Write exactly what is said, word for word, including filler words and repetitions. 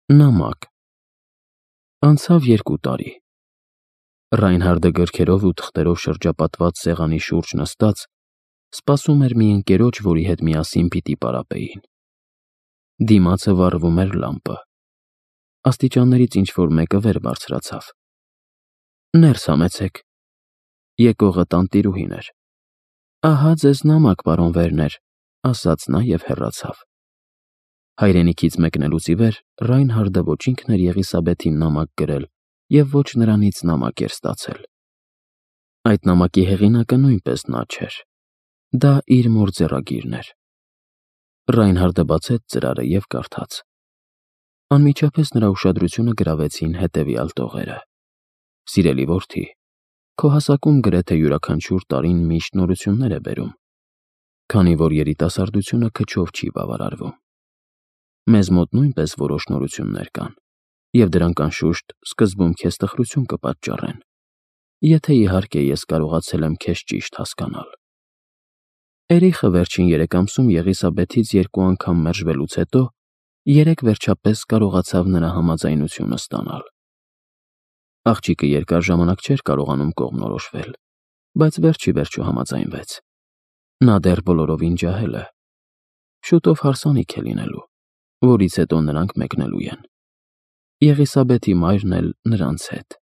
Նամակ։ Անցավ երկու տարի։ Ռայնհարդը գրքերով ու թղթերով շրջապատված սեղանի շուրջ նստած սպասում էր մի ընկերոջ, որի հետ միասին պիտի պարապեին։ Դիմացը վառվում էր լամպը։ Աստիճաններից ինչ-որ մեկը վեր բարձրացավ։ Ներս համեցեք։ Եկողը տանտիրուհին էր։ Ահա ձեզ նամակ, պարոն Վերներ, ասաց նա և հեռացավ։ Հայրենիքից մեկնելուց ի վեր Ռայնհարդը ոչ ինքն էր Եղիսաբեթին նամակ գրել և ոչ նրանից նամակ էր ստացել։ Այդ նամակի հեղինակը նույնպես նա չէր։ Դա իր մոր ձեռագիրն էր։ Ռայնհարդը բացեց ծրարը և կարդաց։ Անմիջապես նրա ուշադրությունը գրավեցին հետևյալ տողերը. «Սիրելի որդի, քո հասակում գրեթե յուրաքանչյուր տարին միշտ նորություններ է բերում, քանի որ երիտասարդությունը քչով չի բավարարվում։ Մեզ մոտ նույնպես որոշ նորություններ կան, և դրանք, անշուշտ, սկզբում քեզ տխրություն կպատճառեն, եթե, իհարկե, ես կարողացել եմ քեզ ճիշտ հասկանալ։ Էրիխը վերջին երեք ամսում Եղիսաբեթից երկու անգամ մերժվելուց հետո երեկ վերջապես կարողացավ նրա համաձայնությունը ստանալ։ Աղջիկը երկար ժամանակ չէր կարողանում կողմնորոշվել, բայց վերջ ի վերջո համաձայնվեց։ Նա դեռ բոլորովին ջահել է։ Շուտով հարսանիք է լինելու, որից հետո նրանք մեկնելու են։ Եղիսաբեթի մայրն էլ նրանց հետ»։